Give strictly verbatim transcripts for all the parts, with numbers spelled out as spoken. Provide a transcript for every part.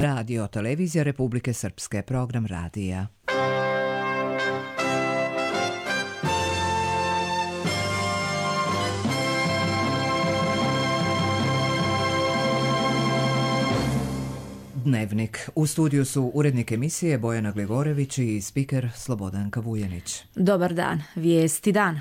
Radio Televizija Republike Srpske, program radija. Dnevnik. U studiju su urednik emisije Bojana Glivorević i spiker Slobodanka Vujanić. Dobar dan. Vijesti dana.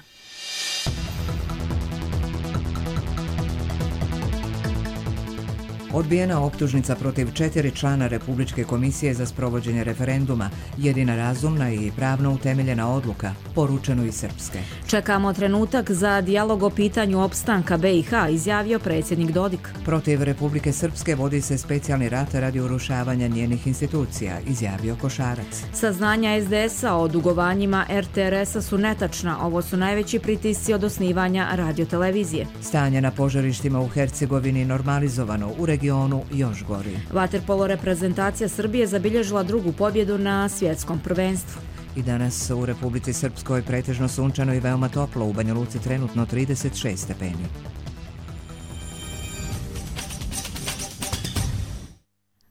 Odbijena optužnica protiv četiri člana Republičke komisije za sprovođenje referenduma, jedina razumna i pravno utemeljena odluka, poručeno iz Srpske. Čekamo trenutak za dijalog o pitanju opstanka B i H, izjavio predsjednik Dodik. Protiv Republike Srpske vodi se specijalni rat radi urušavanja njenih institucija, izjavio Košarac. Saznanja es de es a o dugovanjima er te er es a su netačna. Ovo su najveći pritisci od osnivanja radiotelevizije. Stanje na požarištima u Hercegovini normalizovano, u regionu još gori. Vaterpolo reprezentacija Srbije zabilježila drugu pobjedu na svjetskom prvenstvu. I danas u Republici Srpskoj pretežno sunčano i veoma toplo, u Banja Luci trenutno trideset šest stepeni.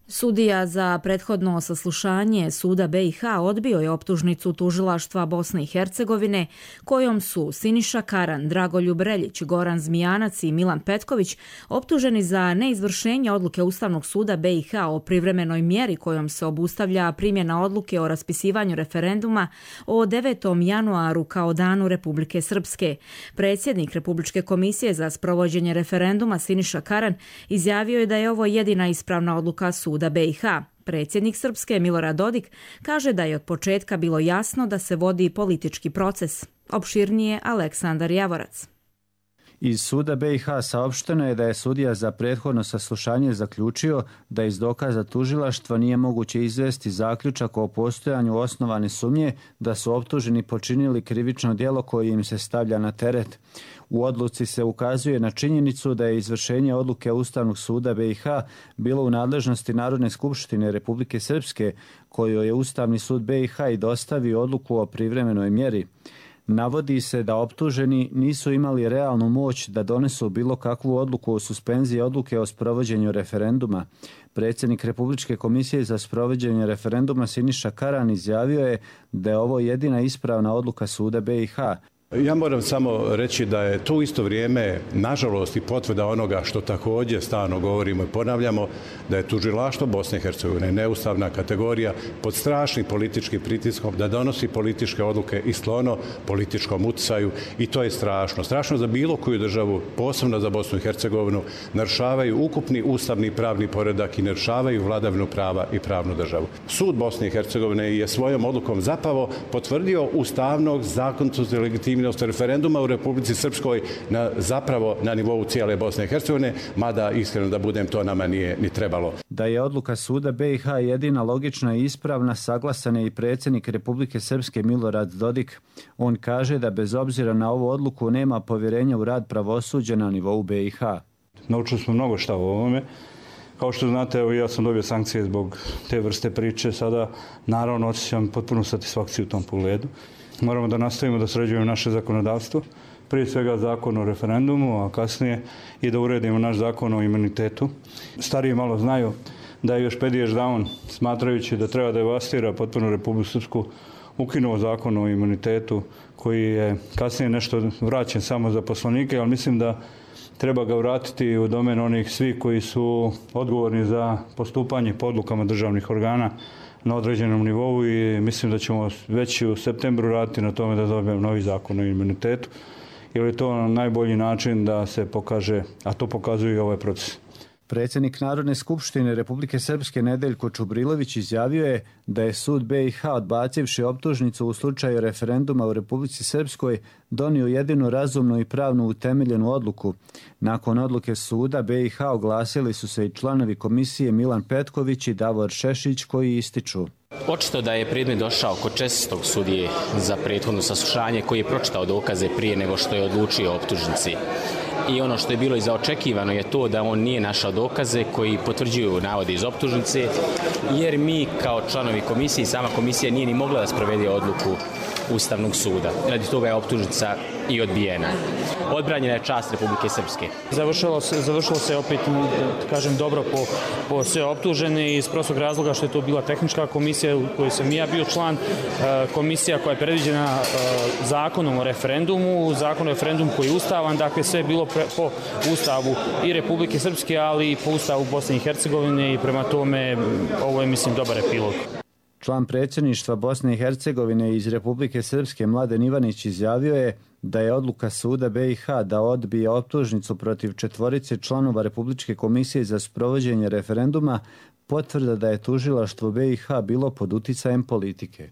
Sudija za prethodno saslušanje suda be i ha odbio je optužnicu tužilaštva Bosne i Hercegovine kojom su Siniša Karan, Dragoljub Reljić, Goran Zmijanac i Milan Petković optuženi za neizvršenje odluke Ustavnog suda be i ha o privremenoj mjeri kojom se obustavlja primjena odluke o raspisivanju referenduma o devetom januaru kao danu Republike Srpske. Predsjednik Republičke komisije za sprovođenje referenduma Siniša Karan izjavio je da je ovo jedina ispravna odluka suda be i ha. Predsjednik Srpske Milorad Dodik kaže da je od početka bilo jasno da se vodi politički proces. Opširnije Aleksandar Javorac. Iz suda be i ha saopšteno je da je sudija za prethodno saslušanje zaključio da iz dokaza tužilaštva nije moguće izvesti zaključak o postojanju osnovane sumnje da su optuženi počinili krivično djelo koje im se stavlja na teret. U odluci se ukazuje na činjenicu da je izvršenje odluke Ustavnog suda be i ha bilo u nadležnosti Narodne skupštine Republike Srpske, kojoj je Ustavni sud be i ha i dostavio odluku o privremenoj mjeri. Navodi se da optuženi nisu imali realnu moć da donesu bilo kakvu odluku o suspenziji odluke o sprovođenju referenduma. Predsjednik Republičke komisije za sprovođenje referenduma Siniša Karan izjavio je da je ovo jedina ispravna odluka suda be i ha. Ja moram samo reći da je tu isto vrijeme, nažalost, i potvrda onoga što također stalno govorimo i ponavljamo, da je tužilaštvo Bosne i Hercegovine neustavna kategorija pod strašnim političkim pritiskom da donosi političke odluke i sklono političkom utjecaju, i to je strašno. Strašno za bilo koju državu, posebno za Bosnu i Hercegovinu, narušavaju ukupni ustavni pravni poredak i narušavaju vladavinu prava i pravnu državu. Sud Bosne i Hercegovine je svojom odlukom zapravo potvrdio ustavnog zakonitost i legitimnost referenduma u Republici Srpskoj na, zapravo na nivou cijele Bosne i Hercegovine, mada iskreno da budem, to nama nije ni trebalo. Da je odluka suda be i ha jedina logična i ispravna, saglasan je i predsjednik Republike Srpske Milorad Dodik. On kaže da bez obzira na ovu odluku nema povjerenja u rad pravosuđa na nivou be i ha. Naučili smo mnogo šta u ovome. Kao što znate, evo, ja sam dobio sankcije zbog te vrste priče. Sada naravno osjećam potpunu satisfakciju u tom pogledu. Moramo da nastavimo da sređujemo naše zakonodavstvo, prije svega zakon o referendumu, a kasnije i da uredimo naš zakon o imunitetu. Stariji malo znaju da je još Pedijež Daun, smatrajući da treba devastira potpuno Republiku Srpsku, ukinuo zakon o imunitetu koji je kasnije nešto vraćen samo za poslanike, ali mislim da treba ga vratiti u domen onih svih koji su odgovorni za postupanje po odlukama državnih organa na određenom nivou, i mislim da ćemo već u septembru raditi na tome da dobijemo novi zakon o imunitetu, jer je to najbolji način da se pokaže, a to pokazuje i ovaj proces. Predsjednik Narodne skupštine Republike Srpske Nedeljko Čubrilović izjavio je da je sud be i ha, odbacivši optužnicu u slučaju referenduma u Republici Srpskoj, donio jedinu razumnu i pravnu utemeljenu odluku. Nakon odluke suda be i ha oglasili su se i članovi komisije Milan Petković i Davor Šešić, koji ističu: Očito da je predmet došao kod čestitog sudije za prethodno saslušanje, koji je pročitao dokaze prije nego što je odlučio o optužnici. I ono što je bilo i zaočekivano je to da on nije našao dokaze koji potvrđuju navode iz optužnice, jer mi kao članovi komisije, sama komisija nije ni mogla da sprovede odluku Ustavnog suda. Radi toga je optužnica i odbijena. odbranjena je čast Republike Srpske. Završilo se, završilo se opet, kažem, dobro po, po sve optužene iz prostog razloga što je to bila tehnička komisija u kojoj sam i ja bio član, komisija koja je predviđena zakonom o referendumu, zakon o referendumu koji je ustavan, dakle sve je bilo pre, po ustavu i Republike Srpske, ali i po ustavu Bosne i Hercegovine i prema tome ovo je, mislim, dobar epilog. Član predsjedništva Bosne i Hercegovine iz Republike Srpske Mladen Ivanić izjavio je da je odluka suda B i H da odbije optužnicu protiv četvorice članova Republičke komisije za sprovođenje referenduma potvrda da je tužilaštvo B i H bilo pod uticajem politike.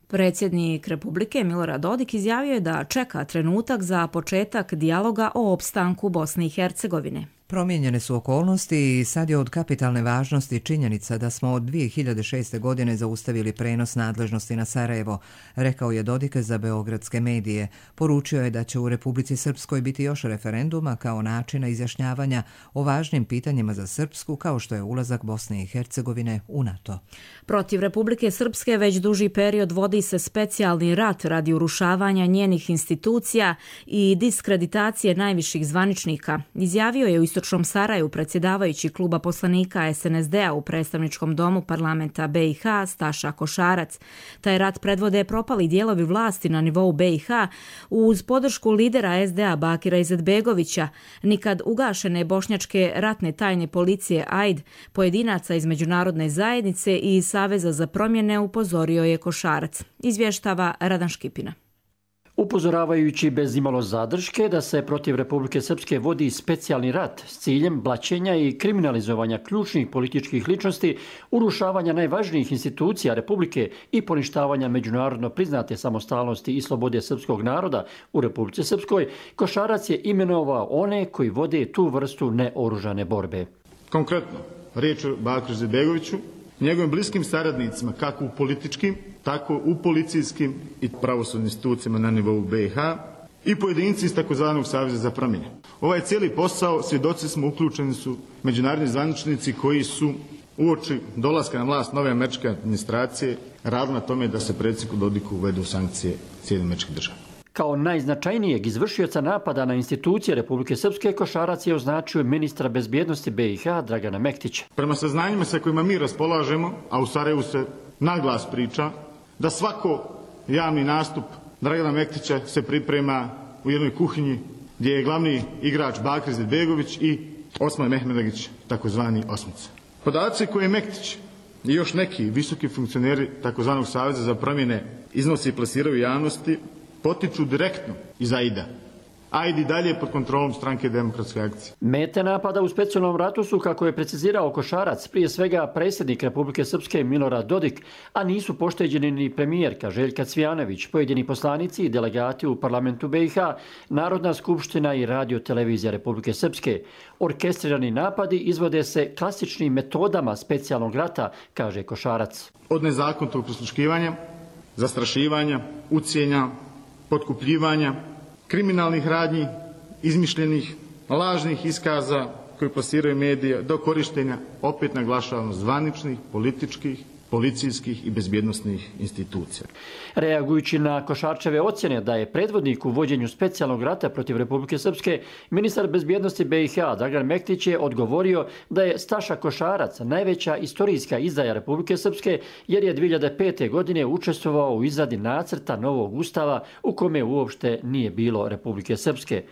Predsjednik Republike Milorad Dodik izjavio je da čeka trenutak za početak dijaloga o opstanku Bosne i Hercegovine. Promijenjene su okolnosti i sad je od kapitalne važnosti činjenica da smo od dvije hiljade šeste. godine zaustavili prenos nadležnosti na Sarajevo, rekao je Dodik za beogradske medije. Poručio je da će u Republici Srpskoj biti još referenduma kao načina izjašnjavanja o važnim pitanjima za Srpsku, kao što je ulazak Bosne i Hercegovine u NATO. Protiv Republike Srpske već duži period vodi se specijalni rat radi urušavanja njenih institucija i diskreditacije najviših zvaničnika, izjavio je u istočnom Sarajevu predsjedavajući kluba poslanika S N S D-a u predstavničkom domu parlamenta B i H Staša Košarac. Taj rat predvode propali dijelovi vlasti na nivou B i H uz podršku lidera S D A Bakira Izetbegovića, nikad ugašene bošnjačke ratne tajne policije A I D, pojedinaca iz međunarodne zajednice i Saveza za promjene, upozorio je Košarac. Izvještava Radan Škipina. Upozoravajući bez imalo zadrške da se protiv Republike Srpske vodi specijalni rat s ciljem blaćenja i kriminalizovanja ključnih političkih ličnosti, urušavanja najvažnijih institucija Republike i poništavanja međunarodno priznate samostalnosti i slobode srpskog naroda u Republici Srpskoj, Košarac je imenovao one koji vode tu vrstu neoružane borbe. Konkretno, riječ o Bakiru Izetbegoviću, njegovim bliskim saradnicima kako u političkim, tako u policijskim i pravosudnim institucijama na nivou B i H i pojedinci iz takozvanog Saveza za promjene. Ovaj cijeli posao svjedoci smo uključeni su međunarodni zvaničnici koji su uoči dolaska na vlast nove američke administracije radili na tome da se predsjedniku Dodiku uvedu sankcije Sjedinjenih Američkih Država. Kao najznačajnijeg izvršioca napada na institucije Republike Srpske, Košarac je označio ministra bezbjednosti B i H Dragana Mektića. Prema saznanjima sa kojima mi raspolažemo, a u Sarajevu se naglas priča, da svako javni nastup Dragana Mektića se priprema u jednoj kuhinji gdje je glavni igrač Bakir Izetbegović i Osman Mehmedagić, takozvani Osmica. Podaci koje je Mektić i još neki visoki funkcioneri takozvanog Saveza za promjene iznosi i plasiraju javnosti potiču direktno iz A I D-a. A I D i dalje pod kontrolom Stranke demokratske akcije. Mete napada u specijalnom ratu su, kako je precizirao Košarac, prije svega predsjednik Republike Srpske Milorad Dodik, a nisu pošteđeni ni premijerka Željka Cvijanović, pojedini poslanici i delegati u parlamentu B i H, Narodna skupština i radio televizija Republike Srpske. Orkestrirani napadi izvode se klasičnim metodama specijalnog rata, kaže Košarac. Od nezakonitog prisluškivanja, zastrašivanja, ucijenja, potkupljivanja, kriminalnih radnji, izmišljenih, lažnih iskaza koji plasiraju medije, do korištenja, opet naglašavamo, zvaničnih, političkih, policijskih i bezbjednosnih institucija. Reagujući na Košarčeve ocjene da je predvodnik u vođenju specijalnog rata protiv Republike Srpske, ministar bezbjednosti B i H Dragan Mektić je odgovorio da je Staša Košarac najveća istorijska izdaja Republike Srpske, jer je dvije hiljade pete. godine učestvovao u izradi nacrta novog ustava u kome uopšte nije bilo Republike Srpske.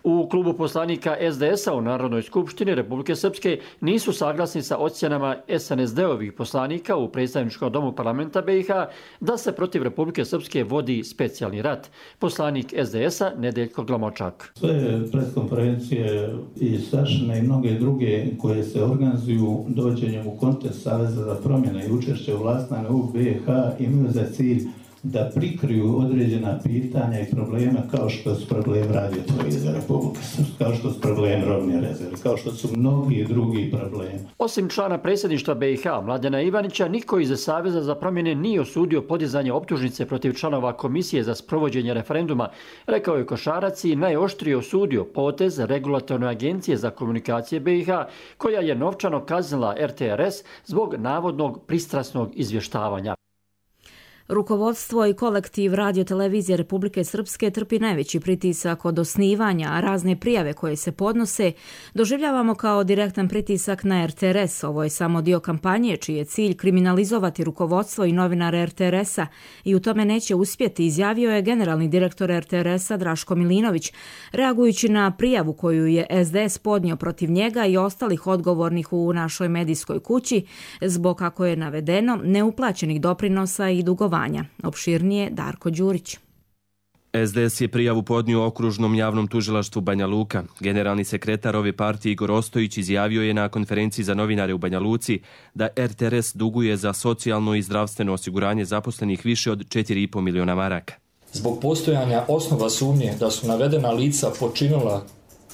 U klubu poslanika S D S-a u Narodnoj skupštini Republike Srpske nisu saglasni sa ocjenama S N S D-ovih poslanika u predstavničkom domu parlamenta B i H da se protiv Republike Srpske vodi specijalni rat. Poslanik S D S-a Nedeljko Glamočak. Sve preskonferencije i Stašine i mnoge druge koje se organizuju dođenjem u kontekst Saveza za promjene i učešće u vlastnama u B i H imaju za cilj da prikriju određena pitanja i probleme kao što su problem radiotelevizije Republike Srpske, kao što su problem robne rezerve, kao što su mnogi drugi problemi. Osim člana predsjedništva B i H Mladena Ivanića, niko iz Saveza za promjene nije osudio podizanje optužnice protiv članova Komisije za sprovođenje referenduma, rekao je Košarac i najoštrije osudio potez Regulatorne agencije za komunikacije B i H, koja je novčano kaznila R T R S zbog navodnog pristrasnog izvještavanja. Rukovodstvo i kolektiv Radio-televizije Republike Srpske trpi najveći pritisak od osnivanja, a razne prijave koje se podnose doživljavamo kao direktan pritisak na R T R S. Ovo je samo dio kampanje čiji je cilj kriminalizovati rukovodstvo i novinare R T R S-a i u tome neće uspjeti, izjavio je generalni direktor R T R S-a Draško Milinović, reagujući na prijavu koju je S D S podnio protiv njega i ostalih odgovornih u našoj medijskoj kući zbog, kako je navedeno, neuplaćenih doprinosa i dugovanja. Opširnije Darko Đurić. S D S je prijavu podnio okružnom javnom tužilaštvu Banja Luka. Generalni sekretar ove partije Igor Ostojić izjavio je na konferenciji za novinare u Banja Luci da R T R S duguje za socijalno i zdravstveno osiguranje zaposlenih više od četiri i po miliona maraka. Zbog postojanja osnova sumnje da su navedena lica počinila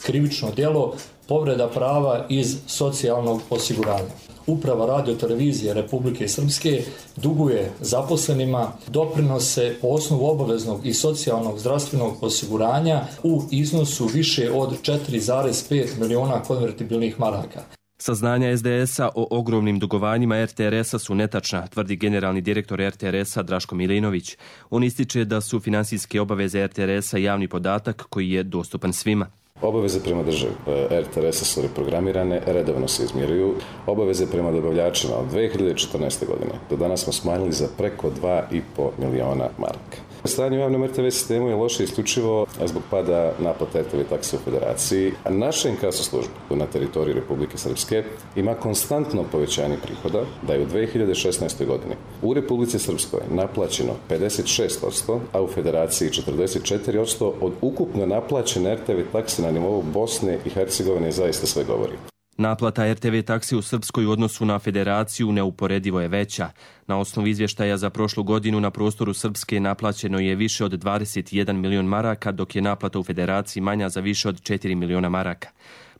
krivično djelo povreda prava iz socijalnog osiguranja. Uprava Radio-televizije Republike Srpske duguje zaposlenima doprinose po osnovu obaveznog i socijalnog zdravstvenog osiguranja u iznosu više od četiri zarez pet miliona konvertibilnih maraka. Saznanja S D S-a o ogromnim dugovanjima R T R S-a su netačna, tvrdi generalni direktor R T R S-a Draško Milinović. On ističe da su finansijske obaveze R T R S-a javni podatak koji je dostupan svima. Obaveze prema državi R T R S-a su reprogramirane, redovno se izmiruju. Obaveze prema dobavljačima od dvije hiljade četrnaeste. godine do danas smo smanjili za preko dva i po miliona maraka. Stanje u javnom R T V sistemu je loše isključivo zbog pada naplata R T V takse u Federaciji. Naša inkaso služba na teritoriji Republike Srpske ima konstantno povećanje prihoda, da je u dvije hiljade šesnaestoj. godini u Republici Srpskoj naplaćeno pedeset šest posto, a u Federaciji četrdeset četiri posto od ukupno naplaćene R T V takse na nivou Bosne i Hercegovine zaista sve govori. Naplata R T V taksi u Srpskoj u odnosu na Federaciju neuporedivo je veća. Na osnovu izvještaja za prošlu godinu na prostoru Srpske naplaćeno je više od dvadeset jedan milion maraka, dok je naplata u Federaciji manja za više od četiri miliona maraka.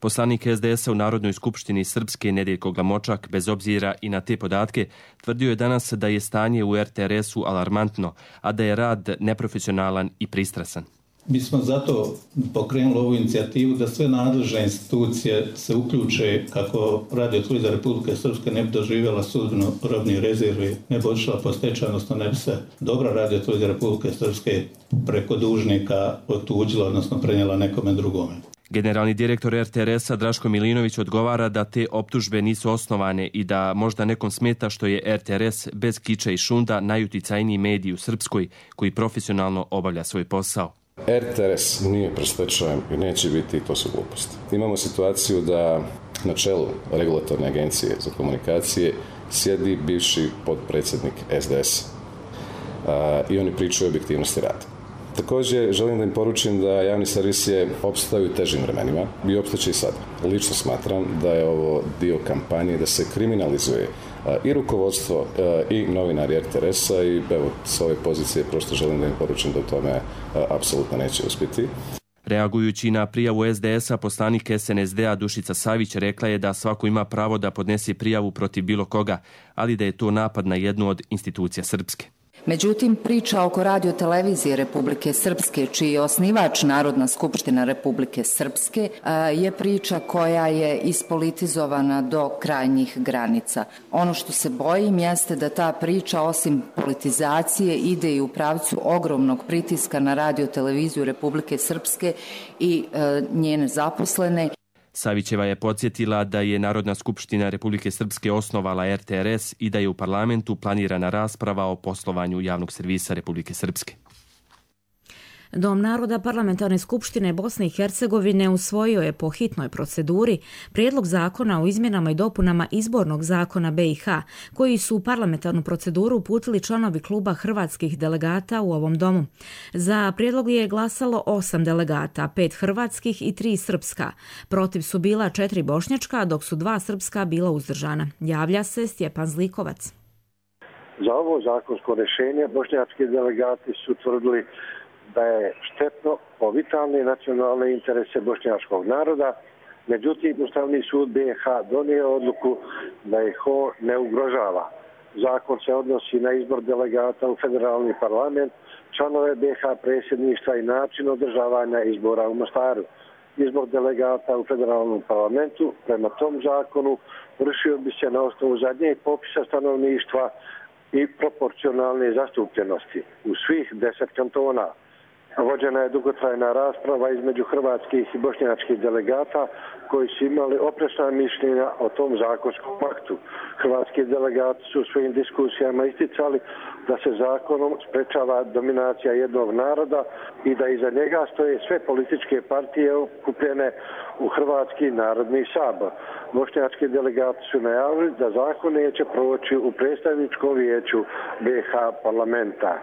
Poslanik S D S-a u Narodnoj skupštini Srpske Nedeljko Glamočak, bez obzira i na te podatke, tvrdio je danas da je stanje u R T R S-u alarmantno, a da je rad neprofesionalan i pristrasan. Mi smo zato pokrenuli ovu inicijativu da sve nadležne institucije se uključe kako Radio-televizija Republike Srpske ne bi doživjela sudbinu robnih rezervi, ne bi odšla po stečaj, odnosno ne bi se dobra Radio-televizija Republike Srpske preko dužnika otuđila, odnosno prenijela nekome drugome. Generalni direktor R T R S-a Draško Milinović odgovara da te optužbe nisu osnovane i da možda nekom smeta što je R T R S bez kiča i šunda najuticajniji medij u Srpskoj koji profesionalno obavlja svoj posao. R T R S nije pred stečajem i neće biti, to su gluposti. Imamo situaciju da na čelu regulatorne agencije za komunikacije sjedi bivši potpredsjednik S D S-a i oni pričaju o objektivnosti rada. Također želim da im poručim da javni servis je opstao u težim vremenima i opstaće i sada. Lično smatram da je ovo dio kampanje da se kriminalizuje i rukovodstvo i novinari R T R S-a i evo s ove pozicije prosto želim da im poručim da u tome apsolutno neće uspjeti. Reagujući na prijavu S D S-a, poslanik S N S D-a Dušica Savić rekla je da svako ima pravo da podnese prijavu protiv bilo koga, ali da je to napad na jednu od institucija Srpske. Međutim, priča oko Radio-televizije Republike Srpske, čiji je osnivač Narodna skupština Republike Srpske, je priča koja je ispolitizovana do krajnjih granica. Ono što se bojim jeste da ta priča, osim politizacije, ide i u pravcu ogromnog pritiska na Radio-televiziju Republike Srpske i njene zaposlene. Savićeva je podsjetila da je Narodna skupština Republike Srpske osnovala R T R S i da je u parlamentu planirana rasprava o poslovanju javnog servisa Republike Srpske. Dom naroda Parlamentarne skupštine Bosne i Hercegovine usvojio je po hitnoj proceduri prijedlog zakona o izmjenama i dopunama izbornog zakona B i H, koji su u parlamentarnu proceduru uputili članovi kluba hrvatskih delegata u ovom domu. Za prijedlog je glasalo osam delegata, pet hrvatskih i tri srpska. Protiv su bila četiri bošnjačka, dok su dva srpska bila uzdržana. Javlja se Stjepan Zlikovac. Za ovo zakonsko rješenje bošnjački delegati su tvrdili da je štetno po vitalne nacionalne interese bošnjačkog naroda. Međutim, Ustavni sud B i H donio odluku da ih on ne ugrožava. Zakon se odnosi na izbor delegata u federalni parlament, članove B i H predsjedništva i način održavanja izbora u Mostaru. Izbor delegata u federalnom parlamentu prema tom zakonu vršio bi se na osnovu zadnjeg popisa stanovništva i proporcionalne zastupljenosti u svih deset kantona. Vođena je dugotrajna rasprava između hrvatskih i bošnjačkih delegata koji su imali oprečna mišljenja o tom zakonskom aktu. Hrvatski delegati su u svojim diskusijama isticali da se zakonom sprečava dominacija jednog naroda i da iza njega stoje sve političke partije okupljene u Hrvatski narodni sabor. Bošnjački delegati su najavili da zakon neće proći u predstavničkom vijeću B iH parlamenta.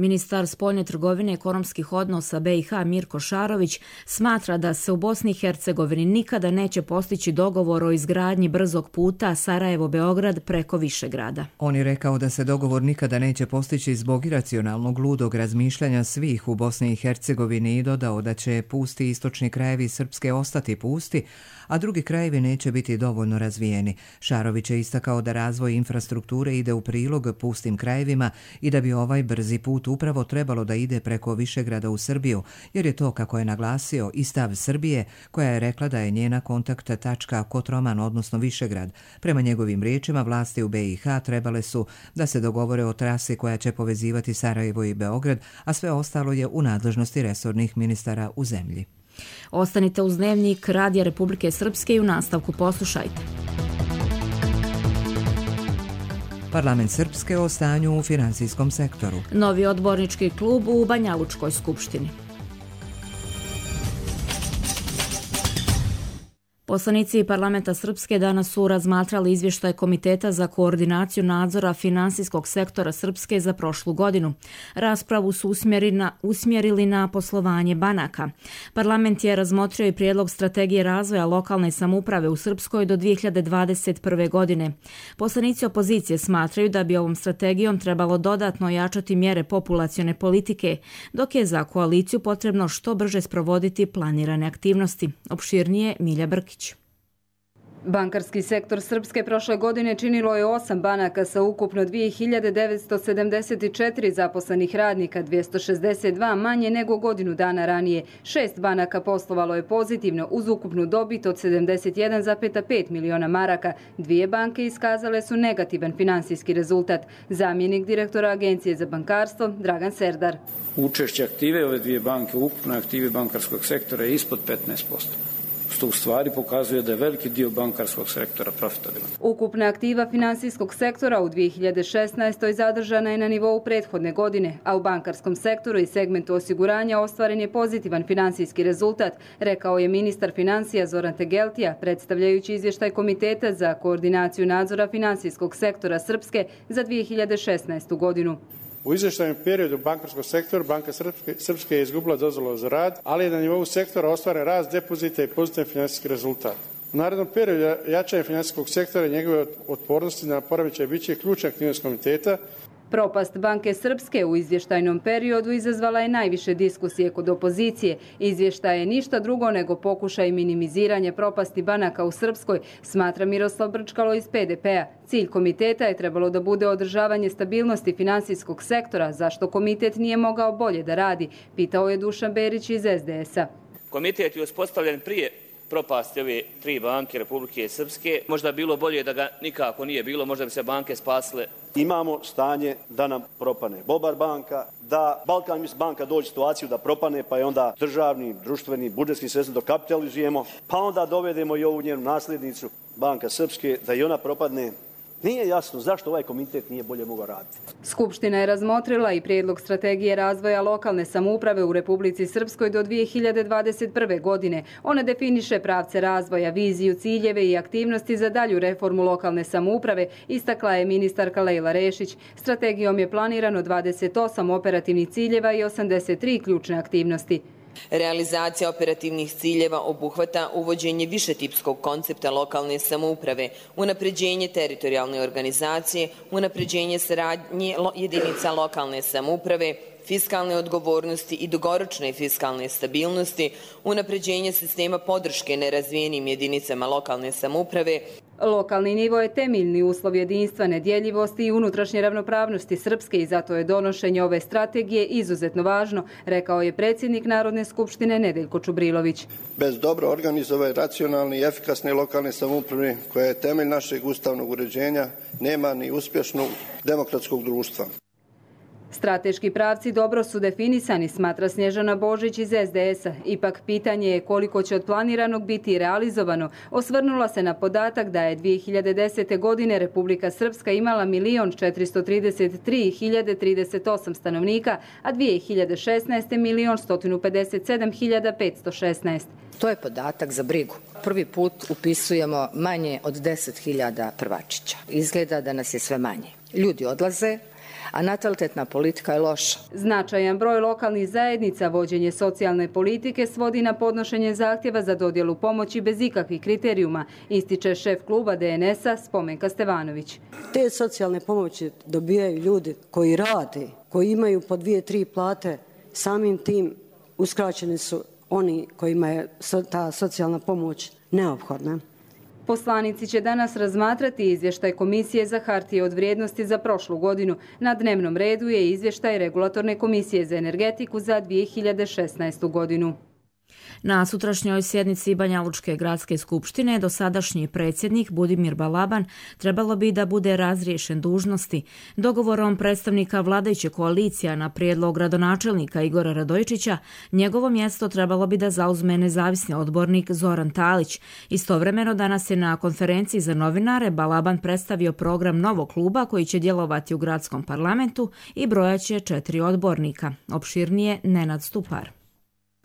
Ministar spoljne trgovine i ekonomskih odnosa B iH Mirko Šarović smatra da se u Bosni i Hercegovini nikada neće postići dogovor o izgradnji brzog puta Sarajevo-Beograd preko Višegrada. On je rekao da se dogovor nikada neće postići zbog iracionalnog ludog razmišljanja svih u Bosni i Hercegovini i dodao da će pusti istočni krajevi Srpske ostati pusti, a drugi krajevi neće biti dovoljno razvijeni. Šarović je istakao da razvoj infrastrukture ide u prilog pustim krajevima i da bi ovaj brzi put upravo trebalo da ide preko Višegrada u Srbiju, jer je to, kako je naglasio, i stav Srbije, koja je rekla da je njena kontakt tačka Kotroman, odnosno Višegrad. Prema njegovim riječima, vlasti u B iH trebale su da se dogovore o trasi koja će povezivati Sarajevo i Beograd, a sve ostalo je u nadležnosti resornih ministara u zemlji. Ostanite uz Dnevnik Radija Republike Srpske i u nastavku poslušajte. Parlament Srpske o stanju u finansijskom sektoru. Novi odbornički klub u Banjalučkoj skupštini. Poslanici parlamenta Srpske danas su razmatrali izvještaj Komiteta za koordinaciju nadzora finansijskog sektora Srpske za prošlu godinu. Raspravu su usmjerili na poslovanje banaka. Parlament je razmotrio i prijedlog strategije razvoja lokalne samouprave u Srpskoj do dvije hiljade dvadeset prve. godine. Poslanici opozicije smatraju da bi ovom strategijom trebalo dodatno jačati mjere populacione politike, dok je za koaliciju potrebno što brže sprovoditi planirane aktivnosti. Opširnije Milja Brkić. Bankarski sektor Srpske prošle godine činilo je osam banaka sa ukupno dvije hiljade devetsto sedamdeset četiri zaposlenih radnika, dvjesto šezdeset dva manje nego godinu dana ranije. Šest banaka poslovalo je pozitivno uz ukupnu dobit od sedamdeset jedan zarez pet miliona maraka. Dvije banke iskazale su negativan finansijski rezultat. Zamjenik direktora Agencije za bankarstvo Dragan Serdar. Učešće aktive ove dvije banke u ukupnoj aktivi bankarskog sektora je ispod petnaest posto. Što u stvari pokazuje da je veliki dio bankarskog sektora profitabilan. Ukupna aktiva finansijskog sektora u dvije hiljade šesnaestoj. zadržana je na nivou prethodne godine, a u bankarskom sektoru i segmentu osiguranja ostvaren je pozitivan finansijski rezultat, rekao je ministar financija Zoran Tegeltija, predstavljajući izvještaj Komiteta za koordinaciju nadzora finansijskog sektora Srpske za dvije hiljade šesnaestu. godinu. U izvještajnom periodu bankarskog sektora Banka Srpske, Srpske je izgubila dozvolu za rad, ali je na nivou sektora ostvaren rast depozita i pozitivan financijski rezultat. U narednom periodu jačanje financijskog sektora i njegove otpornosti na poremećaj bit će ključna aktivnost komiteta. Propast Banke Srpske u izvještajnom periodu izazvala je najviše diskusije kod opozicije. Izvještaj je ništa drugo nego pokušaj minimiziranja propasti banaka u Srpskoj, smatra Miroslav Brčkalo iz P D P-a. Cilj komiteta je trebalo da bude održavanje stabilnosti finansijskog sektora, zašto komitet nije mogao bolje da radi, pitao je Dušan Berić iz S D S-a. Komitet je uspostavljen prije propasti ove tri banke Republike Srpske. Možda bilo bolje da ga nikako nije bilo, možda bi se banke spasile. Imamo stanje da nam propane Bobar banka, da Balkan banka dođe u situaciju da propane, pa je onda državni, društveni, budžetski sredstva dokapitalizujemo, pa onda dovedemo i ovu njenu nasljednicu Banka Srpske da i ona propadne. Nije jasno zašto ovaj komitet nije bolje mogao raditi. Skupština je razmotrila i prijedlog strategije razvoja lokalne samouprave u Republici Srpskoj do dvije hiljade dvadeset prve. godine. Ona definiše pravce razvoja, viziju, ciljeve i aktivnosti za dalju reformu lokalne samouprave, istakla je ministarka Lejla Rešić. Strategijom je planirano dvadeset osam operativnih ciljeva i osamdeset tri ključne aktivnosti. Realizacija operativnih ciljeva obuhvata uvođenje višetipskog koncepta lokalne samouprave, unapređenje teritorijalne organizacije, unapređenje saradnje jedinica lokalne samouprave, fiskalne odgovornosti i dugoročne fiskalne stabilnosti, unapređenje sistema podrške nerazvijenim jedinicama lokalne samouprave, Lokalni nivo je temeljni uslov jedinstva, nedjeljivosti i unutrašnje ravnopravnosti Srpske i zato je donošenje ove strategije izuzetno važno, rekao je predsjednik Narodne skupštine Nedeljko Čubrilović. Bez dobro organizovane, racionalne i efikasne lokalne samouprave, koja je temelj našeg ustavnog uređenja, nema ni uspješnog demokratskog društva. Strateški pravci dobro su definisani, smatra Snježana Božić iz es de es-a. Ipak pitanje je koliko će od planiranog biti realizovano. Osvrnula se na podatak da je dvije hiljade desete. godine Republika Srpska imala milion četiristo trideset tri hiljade trideset osam stanovnika, a dvije hiljade šesnaeste. milion sto pedeset sedam hiljada petsto šesnaest. To je podatak za brigu. Prvi put upisujemo manje od deset hiljada prvačića. Izgleda da nas je sve manje. Ljudi odlaze, a natalitetna politika je loša. Značajan broj lokalnih zajednica vođenje socijalne politike svodi na podnošenje zahtjeva za dodjelu pomoći bez ikakvih kriterijuma, ističe šef kluba de en es-a Spomenka Stevanović. Te socijalne pomoći dobijaju ljudi koji rade, koji imaju po dvije, tri plate, samim tim uskraćeni su oni kojima je ta socijalna pomoć neophodna. Poslanici će danas razmatrati izvještaj Komisije za hartije od vrijednosti za prošlu godinu. Na dnevnom redu je izvještaj Regulatorne komisije za energetiku za dvije hiljade šesnaestu. godinu. Na sutrašnjoj sjednici Banjalučke gradske skupštine dosadašnji predsjednik Budimir Balaban trebalo bi da bude razriješen dužnosti. Dogovorom predstavnika vladajuće koalicija na prijedlog gradonačelnika Igora Radojičića, njegovo mjesto trebalo bi da zauzme nezavisni odbornik Zoran Talić. Istovremeno danas je na konferenciji za novinare Balaban predstavio program novog kluba koji će djelovati u gradskom parlamentu i brojaće četiri odbornika. Opširnije Nenad Stupar.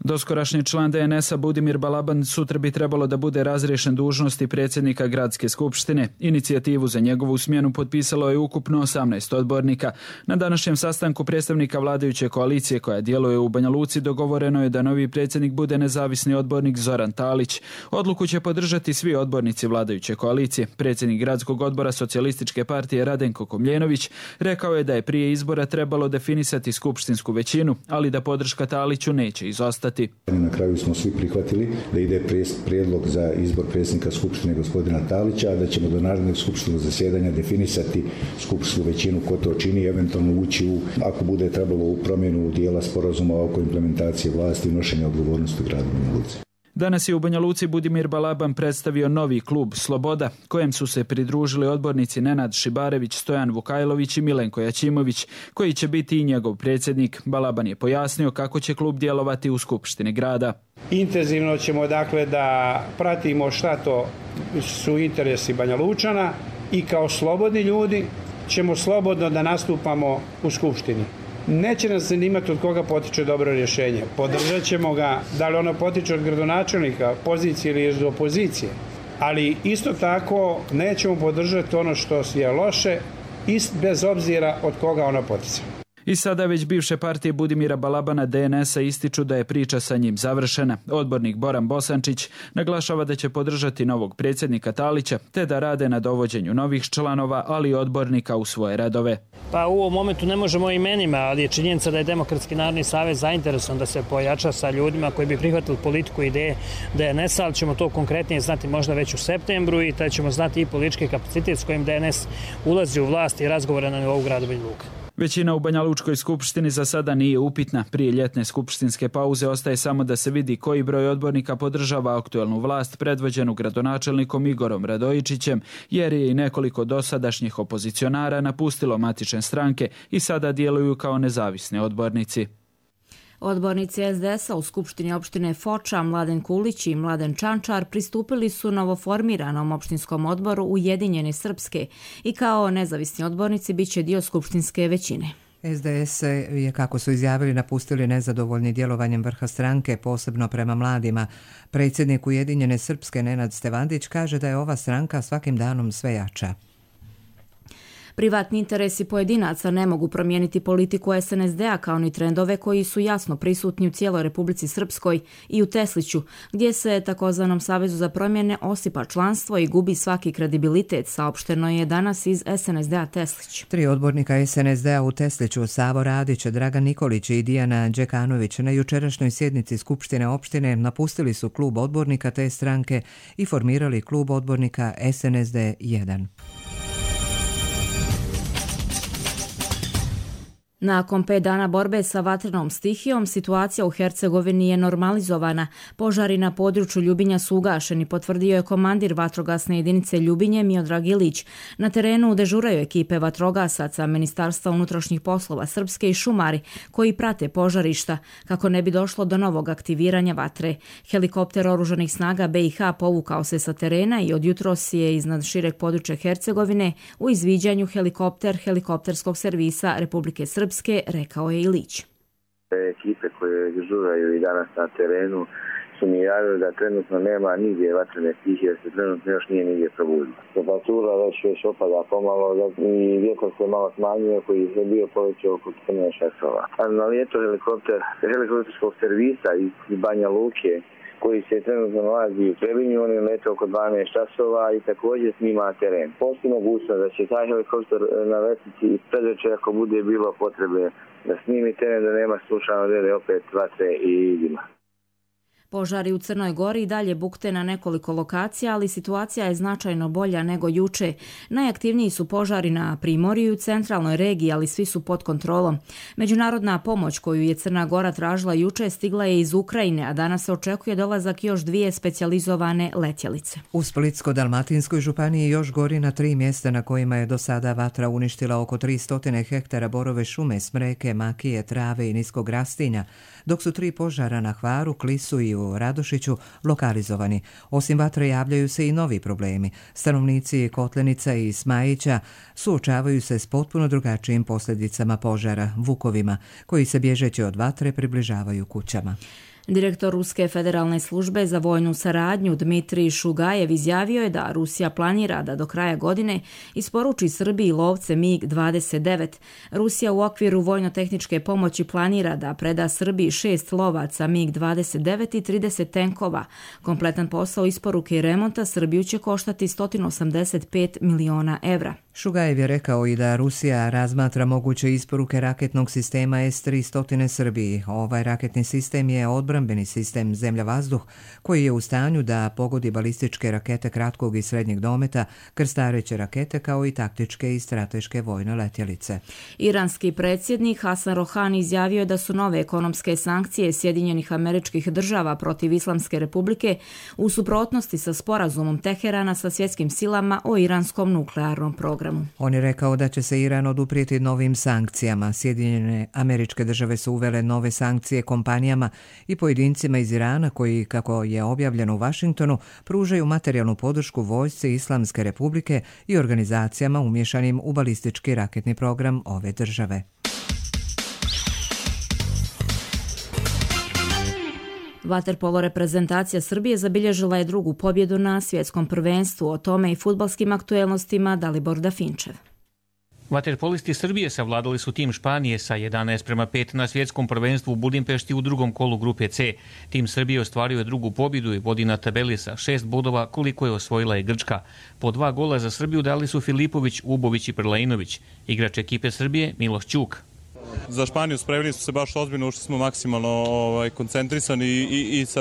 Doskorašnji član de en es-a Budimir Balaban sutra bi trebalo da bude razriješen dužnosti predsjednika gradske skupštine. Inicijativu za njegovu smjenu potpisalo je ukupno osamnaest odbornika. Na današnjem sastanku predstavnika vladajuće koalicije koja djeluje u Banja Luci dogovoreno je da novi predsjednik bude nezavisni odbornik Zoran Talić. Odluku će podržati svi odbornici vladajuće koalicije. Predsjednik gradskog odbora Socijalističke partije Radenko Komljenović rekao je da je prije izbora trebalo definisati skupštinsku većinu, ali da podrška Taliću neće izostati. Na kraju smo svi prihvatili da ide prijedlog za izbor predsjednika Skupštine gospodina Talića, da ćemo do narednog skupštnog zasjedanja definisati skupštinsku većinu ko to čini i eventualno ući u, ako bude trebalo, u promjenu dijela sporazuma oko implementacije vlasti i nošenja odgovornosti u gradu Banja Luci. Danas je u Banja Luci Budimir Balaban predstavio novi klub Sloboda, kojem su se pridružili odbornici Nenad Šibarević, Stojan Vukajlović i Milenko Jačimović, koji će biti i njegov predsjednik. Balaban je pojasnio kako će klub djelovati u Skupštini grada. Intenzivno ćemo dakle da pratimo šta to su interesi Banja Lučana i kao slobodni ljudi ćemo slobodno da nastupamo u Skupštini. Neće nas zanimati od koga potiče dobro rješenje. Podržat ćemo ga, da li ono potiče od gradonačelnika, pozicije ili iz opozicije. Ali isto tako nećemo podržati ono što je loše, bez obzira od koga ono potiče. I sada već bivše partije Budimira Balabana de en es-a ističu da je priča sa njim završena. Odbornik Boran Bosančić naglašava da će podržati novog predsjednika Talića te da rade na dovođenju novih članova, ali i odbornika u svoje redove. Pa u ovom momentu ne možemo o imenima, ali je činjenica da je Demokratski narodni savez zainteresovan da se pojača sa ljudima koji bi prihvatili politiku ideje de en es-a, ali ćemo to konkretnije znati možda već u septembru i da ćemo znati i politički kapacitet s kojim de en es ulazi u vlast i razgovore na nivou grada Banja Luka. Većina u Banja Lučkoj skupštini za sada nije upitna. Prije ljetne skupštinske pauze ostaje samo da se vidi koji broj odbornika podržava aktuelnu vlast predvođenu gradonačelnikom Igorom Radojičićem, jer je i nekoliko dosadašnjih opozicionara napustilo matične stranke i sada djeluju kao nezavisni odbornici. Odbornici es de es-a u Skupštini opštine Foča, Mladen Kulić i Mladen Čančar pristupili su novoformiranom opštinskom odboru Ujedinjene Srpske i kao nezavisni odbornici bit će dio skupštinske većine. es de es je, kako su izjavili, napustili nezadovoljni djelovanjem vrha stranke, posebno prema mladima. Predsjednik Ujedinjene Srpske Nenad Stevandić kaže da je ova stranka svakim danom sve jača. Privatni interesi pojedinaca ne mogu promijeniti politiku es en es de a kao ni trendove koji su jasno prisutni u cijeloj Republici Srpskoj i u Tesliću, gdje se takozvanom Savezu za promjene osipa članstvo i gubi svaki kredibilitet, saopšteno je danas iz es en es de a Teslić. Tri odbornika es en es de a u Tesliću, Savo Radić, Dragan Nikolić i Dijana Đekanović, na jučerašnjoj sjednici Skupštine opštine napustili su klub odbornika te stranke i formirali klub odbornika es en es de jedan. Nakon pet dana borbe sa vatrenom stihijom, situacija u Hercegovini je normalizovana. Požari na području Ljubinja su ugašeni, potvrdio je komandir vatrogasne jedinice Ljubinje Miodrag Ilić. Na terenu dežuraju ekipe vatrogasaca, Ministarstva unutrašnjih poslova Srpske i šumari koji prate požarišta kako ne bi došlo do novog aktiviranja vatre. Helikopter oružanih snaga be i ha povukao se sa terena i od jutros je iznad šireg područja Hercegovine u izviđanju helikopter helikopterskog servisa Republike Srpske, rekao je Ilić. Ekipe koje dežuraju i danas na terenu su mi javili da trenutno nema nigdje vatrene stihije, jer se trenutno još nije nigdje probudila. Temperatura već već opada pomalo i vjetar se malo smanjuje koji je bio povećao oko četrnaest časova. Na lijetu helikopter helikopterskog servisa iz Banja Luke koji se trenutno nalazi u Trebinju, on je letao oko dvanaest časova i također snima teren. Postoji mogućnost da će taj helikopter naletiti i predveče ako bude bilo potrebe da snimi teren, da nema slučajno dele opet vatre i dima. Požari u Crnoj Gori i dalje bukte na nekoliko lokacija, ali situacija je značajno bolja nego juče. Najaktivniji su požari na Primorju i u centralnoj regiji, ali svi su pod kontrolom. Međunarodna pomoć koju je Crna Gora tražila juče stigla je iz Ukrajine, a danas se očekuje dolazak još dvije specijalizovane letjelice. U Splitsko-dalmatinskoj županiji još gori na tri mjesta na kojima je do sada vatra uništila oko tristo hektara borove šume, smreke, makije, trave i niskog rastinja, dok su tri požara na Hvaru, Klisu i u Radošiću lokalizovani. Osim vatre javljaju se i novi problemi. Stanovnici Kotlenica i Smajića suočavaju se s potpuno drugačijim posljedicama požara, vukovima, koji se bježeći od vatre približavaju kućama. Direktor Ruske federalne službe za vojnu saradnju Dmitrij Šugajev izjavio je da Rusija planira da do kraja godine isporuči Srbiji lovce mig dvadeset devet. Rusija u okviru vojno-tehničke pomoći planira da preda Srbiji šest lovaca mig dvadeset devet i trideset tenkova. Kompletan posao isporuke i remonta Srbiju će koštati sto osamdeset pet miliona evra. Šugajev je rekao i da Rusija razmatra moguće isporuke raketnog sistema es tristo Srbiji. Ovaj raketni sistem je odbrambeni sistem zemlja-vazduh koji je u stanju da pogodi balističke rakete kratkog i srednjeg dometa, krstareće rakete kao i taktičke i strateške vojne letjelice. Iranski predsjednik Hasan Rohani izjavio je da su nove ekonomske sankcije Sjedinjenih Američkih Država protiv Islamske Republike u suprotnosti sa sporazumom Teherana sa svjetskim silama o iranskom nuklearnom programu. On je rekao da će se Iran oduprijeti novim sankcijama. Sjedinjene Američke Države su uvele nove sankcije kompanijama i pojedincima iz Irana koji, kako je objavljeno u Vašingtonu, pružaju materijalnu podršku vojsci Islamske Republike i organizacijama umješanim u balistički raketni program ove države. Vaterpolo reprezentacija Srbije zabilježila je drugu pobjedu na svjetskom prvenstvu. O tome i fudbalskim aktuelnostima Dalibor Dafinčev. Vaterpolisti Srbije savladali su tim Španije sa jedanaest prema pet na svjetskom prvenstvu u Budimpešti u drugom kolu grupe C. Tim Srbije ostvario je drugu pobjedu i vodi na tabeli sa šest bodova koliko je osvojila i Grčka. Po dva gola za Srbiju dali su Filipović, Ubović i Prlainović. Igrač ekipe Srbije Miloš Ćuk. Za Španiju spremili smo se baš ozbiljno, ušli smo maksimalno ovaj, koncentrisani i, i, i sa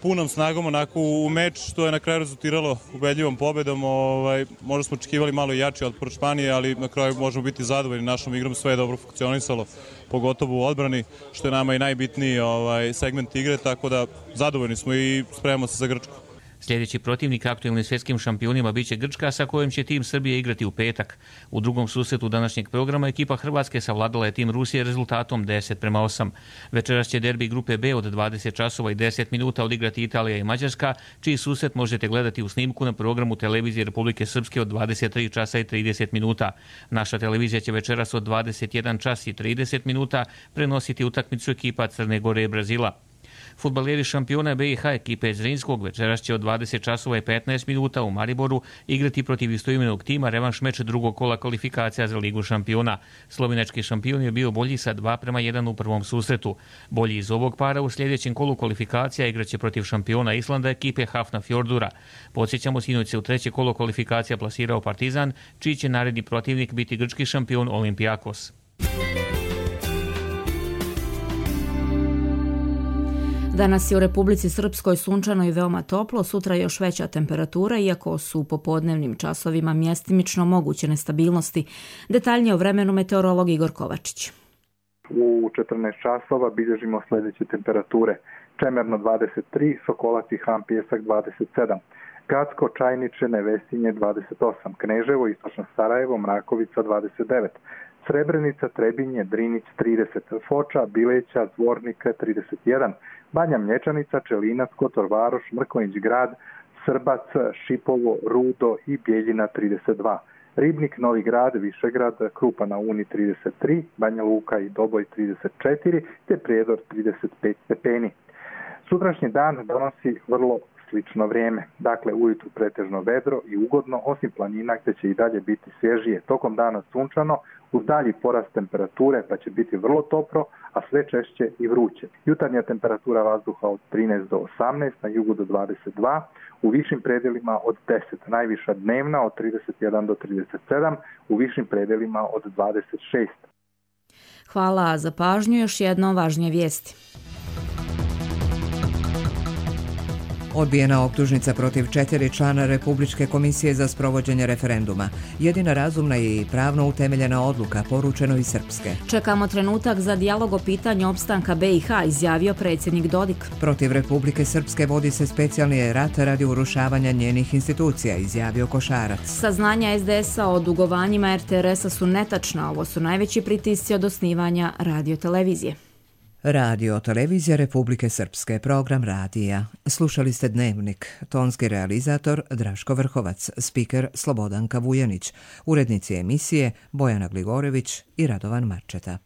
punom snagom onako u meč, što je na kraju rezultiralo ubedljivom pobedom. Ovaj, možda smo očekivali malo jači otpor Španije, ali na kraju možemo biti zadovoljni našom igrom, sve je dobro funkcionisalo, pogotovo u odbrani, što je nama i najbitniji ovaj, segment igre, tako da zadovoljni smo i spremamo se za Grčku. Sljedeći protivnik aktuelnim svjetskim šampionima biće Grčka, sa kojom će tim Srbije igrati u petak. U drugom susretu današnjeg programa ekipa Hrvatske savladala je tim Rusije rezultatom deset prema osam. Večeras će derbi grupe B od dvadeset časova i deset minuta odigrati Italija i Mađarska, čiji susret možete gledati u snimku na programu televizije Republike Srpske od dvadeset tri časa i trideset minuta. Naša televizija će večeras od dvadeset jedan čas i trideset minuta prenositi utakmicu ekipa Crne Gore i Brazila. Fudbaleri šampiona B i H ekipe Zrinskog večeras će od dvadeset časova i petnaest minuta u Mariboru igrati protiv istoimenog tima revanš meč drugog kola kvalifikacija za Ligu šampiona. Slovenački šampion je bio bolji sa dva prema jedan u prvom susretu. Bolji iz ovog para u sljedećem kolu kvalifikacija igraće protiv šampiona Islanda ekipe Hafnarfjordura. Podsjećamo, sinoć se u treće kolo kvalifikacija plasirao Partizan, čiji će naredni protivnik biti grčki šampion Olympiakos. Danas je u Republici Srpskoj sunčano i veoma toplo, sutra još veća temperatura, iako su u popodnevnim časovima mjestimično moguće nestabilnosti. Detaljnije o vremenu meteorolog Igor Kovačić. U četrnaest časova bilježimo sljedeće temperature. Čemerno dvadeset tri, Sokolac i Han Pjesak dvadeset sedam, Gacko, Čajniče, Nevesinje dvadeset osam, Kneževo, Istočno Sarajevo, Mrakovica dvadeset devet, Srebrenica, Trebinje, Drinić trideset, Foča, Bileća, Zvornika trideset jedan, Banja Mlječanica, Čelinac, Kotor Varoš, Mrkonjić Grad, Srbac, Šipovo, Rudo i Bjeljina trideset dva, Ribnik, Novi Grad, Višegrad, Krupa na Uni trideset tri, Banja Luka i Doboj trideset četiri te Prijedor trideset pet stepeni. Sutrašnji dan donosi vrlo slično vrijeme. Dakle, ujutru pretežno vedro i ugodno, osim planina gdje će i dalje biti svježije. Tokom dana sunčano, uz dalji porast temperature pa će biti vrlo toplo, a sve češće i vruće. Jutarnja temperatura vazduha od trinaest do osamnaest, na jugu do dvadeset dva, u višim predjelima od deset, najviša dnevna od trideset jedan do trideset sedam, u višim predjelima od dvadeset šest. Hvala za pažnju, još jedno važnije vijesti. Odbijena optužnica protiv četiri člana Republičke komisije za sprovođenje referenduma. Jedina razumna i pravno utemeljena odluka, poručeno iz Srpske. Čekamo trenutak za dijalog o pitanju opstanka B i H, izjavio predsjednik Dodik. Protiv Republike Srpske vodi se specijalni rat radi urušavanja njenih institucija, izjavio Košarac. Saznanja es de es a o dugovanjima er te er es a su netačna. Ovo su najveći pritisci od osnivanja radiotelevizije. Radio Televizija Republike Srpske, program radija. Slušali ste Dnevnik, tonski realizator Draško Vrhovac, spiker Slobodanka Vujanić, urednici emisije Bojana Gligorević i Radovan Marčeta.